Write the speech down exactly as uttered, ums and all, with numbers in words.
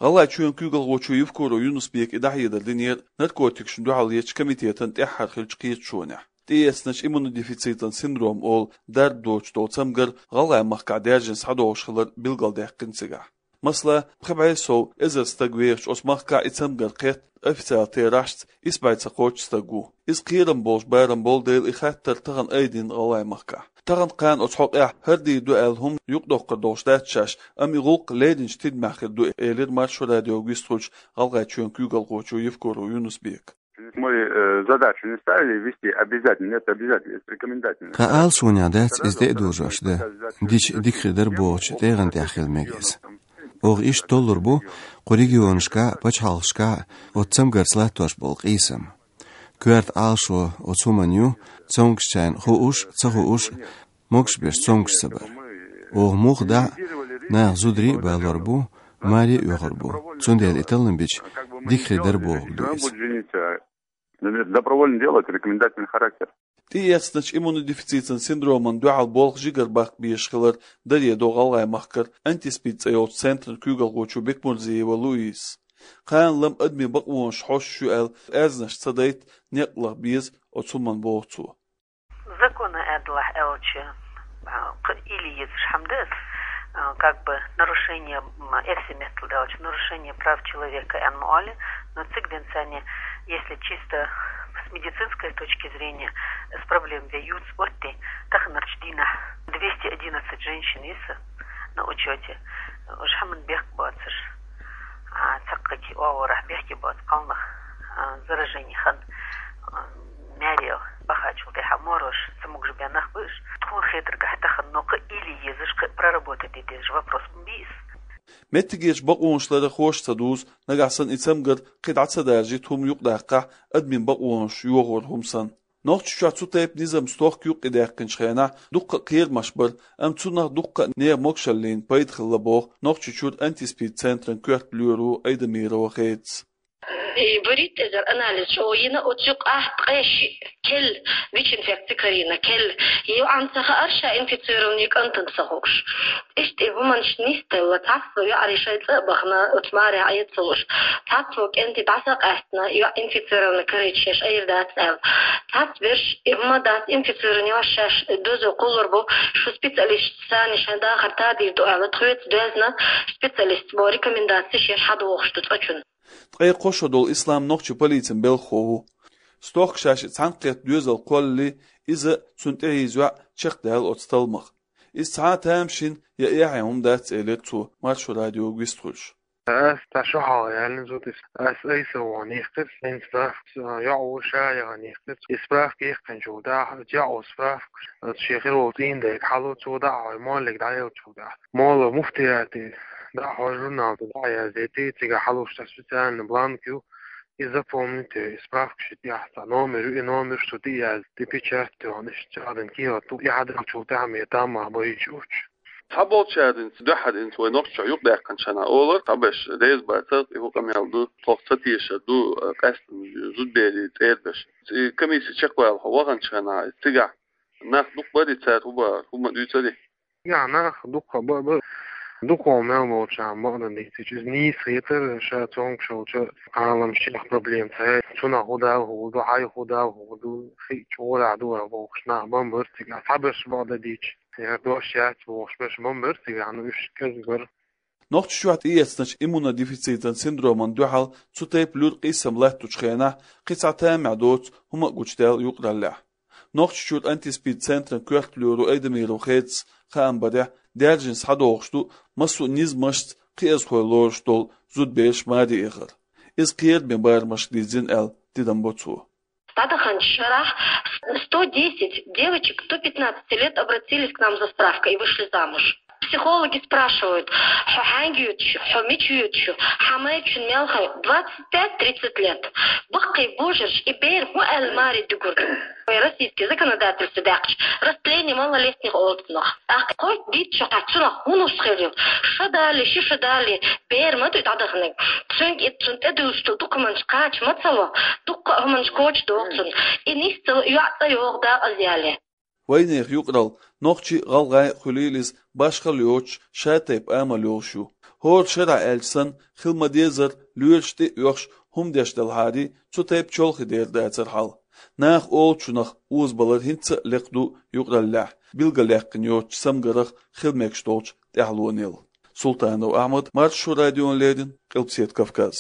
ГӀалгӀайчоьнан куьйгалхочо Евкуров Юнус-Бека и дӀахьедар динера наркотикашна дуьхьал ечу комитетан тӀаьххьара хиллачу кхеташонехь. ТӀеэцначу иммунодефицитан синдром олу дарба доцуш долу цамгар ГӀалгӀай махкахь даьржина схьадогӀуш хилар билгалдаьккхина цигахь. Масала, пхи бӀе сов эзар стаг вехачу оцу махкахь и цамгар кхетта, официалан терахьашца исс бӀе цхьа кхоч стаг ву. Иза кхерам болуш барам болу дела и хаттар тахана айдина ГӀалгӀай махкахь. Тахана кхана оцу хьокъехь хӀара дийр ду аьлла хӀума юкъадоккхур долуш дац шаьш, амма и гӀуллакх леринчу тидамехь хир ду, элира Маршо радиога вистхуьлуш ГӀалгӀайчоьнан куьйгалхочо Евкуров Юнус-Бека. Мы э, задачу не ставили вести обязательно, нет, обязательно, это рекомендательно. Тхан ала суна дац иза тӀе а дожош дан, дича дика хир дара бохучу тӀегӀан тӀехь хила мега иза. Оха иштта толлур бу кху регионашкахь а, пачхьалкхашкахь а оцу цамгарца латтош болу къийсам. Коьрта Ӏалашо оцу хӀуманна ю, цомгушчарна хууш а, ца хууш а, могуш берш цомгуш ца бар. Оха муха дахь а, наха зударий а балор бу, маре а оьхур бу. Цундела и таллам бича, дика хир дара бохург ду иза. Добровольное дело, это рекомендательный характер. ТӀеэцначу иммунодефицитан синдромана дуьхьал болх жигара баккха безаш хилар даре до ГӀалгӀай махкара антиспид цӀе йолчу центран куьйгалхочо Бекмурзиева Луизас. Кхана-лама адамийн бакъонаш хьоьстуш ю аьлла, аьзнаш ца дайта некъ лаха беза оцу хӀуманна боху цо. Закона аьдалахь аьлча, а, кхы или езаш хьама дац, а, как бы нарушение, м, эрсий меттала аьлча, нарушение прав человека аьнна ма олу, но цига денца, если чисто с медицинской точки зрения, с проблем ве юц отти, таханарчу дийнахь двести одиннадцать женщин йиса на учёте, уж хьаман бехк боцуш, а, цхьаккхати оагӀорахь бехке боцу кхалнах, а, заражение хан, а, маьре бахачул тӀаьхьа морош ца могуш бен нах бу уж. Тхуна хетаргахь тахана, но кхы или езаш, кхы проработать де дезаш вопрос ма бийса. Меттигерчу бакъонаш ларархоша ца дузу, нагахь санна и цамгар кхин дӀа ца даржийта хӀума юкъадаккхахь, адамийн бакъонаш йохор хӀума санна. Нохчийчохь цу тайпа низам стохка юккъе даьккхинчу хенахь дуккха а кхерамаш бара, амма цунах дуккха а нехан могушаллина пайда хилла боху Нохчийчуьра антиспид центран коьрта лоьро Айдамирова Хедас. И баритта эзар анализ чӀогӀа йина, оцу юкъахь ткъе шиъ кел ВИЧ-инфекция карийна, кел. ЙоӀана ца хаьара ша инфицированный кӀантана ца хууш. Иштта и хӀуманаш нисделла, цхьацца йоӀарий шайн цӀа а бахана, оцу маре Ӏе ца луш. Цхьацца кӀентий дӀасакъаьстина, йоӀ инфицированный карийча шаьш айр дац аьлла. Цхьацца берш и хӀума дац, инфицированный йош шаьш дозо кхуллур бу, шу специалисташца санна шайн дахар тадийр ду аьлла, тхоьца доьзна специалисташа бо рекомендацеш еш хьадогӀуш ду цӀа чунна. Ткъе кхо шо долу Ислам нохчийн полицин белхахо ву. Стохка шаьш и цхьаьнакхетта доьзал кхоллале, иза, цунна тӀехьийза йоӀ чекхдаьлла оцу талламах. Иза цхьа а тамашийна я эхьен хӀума дац, элира цо, Маршо радиога вистхуьлуш. Ас цхьа шо хьалха яьллина зуда иза. Ас айса вахана йихкира, хӀинца справка, йоӀ ву ша яхана йихкира. И справка йихкинчул тӀаьхьа, йоӀ ву справка, аса шен хир волу цӀийнан дайга хьало цо дӀа а хьой, моллиг дӀаеллачул тӀаьхьа. Молла муфтияте дӀа а хьой, журнал тӀе дӀа а яздайти, цигахь хьалуш цхьа специальный бланк ю, и запомнить йой, и справка ши тӀехь цхьа номер ю, и номер шу тӀе а язди, печать йохна, иштта чӀагӀдина кехат ду, и хьадаьллачул тӀаьхьа ме таммах баьлча уьш. Цхьаболчарна дуьххьара хӀинца вай Нохчийчохь юкъадаьккхинчу хенахь олура, цхьаберш реза бацара, и хӀун къамел ду, тхох ца тешар ду, къаьсттина зудаберийн цӀера берш. И комисси чекхвала хьо ваханчу хенахь, цигахь нах дукха барий, цара хӀун бохура, хӀума дуьйцурий? Цигахь нах дукха ба-, ба-, дукха мел болчарна бакъдан дийцича, иза нийса хетара, ша цомгуш волчу Ӏаламчех проблема ца яй, цунах хӀун дала хӀун ду, хьай хӀун дала хӀун ду, хи чӀогӀа ду а бохуш, нах бан бара цигахь, цхьаберш бакъдан дийцича. Я дош яц бохуш берш бан бара цигахь, ну, уьш кӀезиг бара. Нохчийчохь тӀеэцначу иммунодефицитан синдромана дуьхьал цу тайпа луьра къийсам латтучу хенахь кхин цхьа тамехь доцу хӀума а гучудаьлла юкъараллехь. Нохчийчуьра антиспид центран коьрта лоьро Айдамирова Хедас хаам барехь, даьржина схьадогӀуш ду массо а низамашца кхиазхой лоруш долу зудабераш маре эхар. Иза кхераме барамашка дирзина аьлла, тидам бо цо. ТӀадаханчу шарахь сто десять девочек до пятнадцати лет обратились к нам за справкой и вышли замуж. Психологи спрашивают: «Хьо хьаьнга йоьдуш ю? Хьо мича йоьдуш ю? Хьан майрачун мел хьо?» Двадцать пять тридцать лет. Баккхий божарш и бер хӀун аьлла маре дуьгур ду? Вай российский законодательство даьккхича, растление малолетних олу цунах. ТӀаккха кхойтта дийцча, хьан цунах хӀун луш хир ю? Шо далий, ши шо далий, бер ма ду и дӀадаханиг. Цуьнга и цунна тӀедуьллуш долу документаш кхача ма ца ло, дуккха а хӀуманаш коча догӀу цунна. И нисдала йоӀ цӀа йогӀу дакъазъяьле. Вайнехан юкъаралла, нохчий, гӀалгӀай, хуьлийла иза, башхалла йоцуш, шатайпа амал йолуш ю. ХӀора шера аьлча санна, хила ма-деззара, лоьраш тӀе а оьхуш, хӀума деш делахьарий, цу тайпа чолхе дер дацар хьал. Наха олучунах озабалар хӀинца а лекха ду юкъараллехь, билгалъяьккхина йоцучу цамгарах хила мегаш долчу тӀаьхьалонел. Султанов Ахьмад, Маршо радиона леррина, Къилбаседа Кавказ.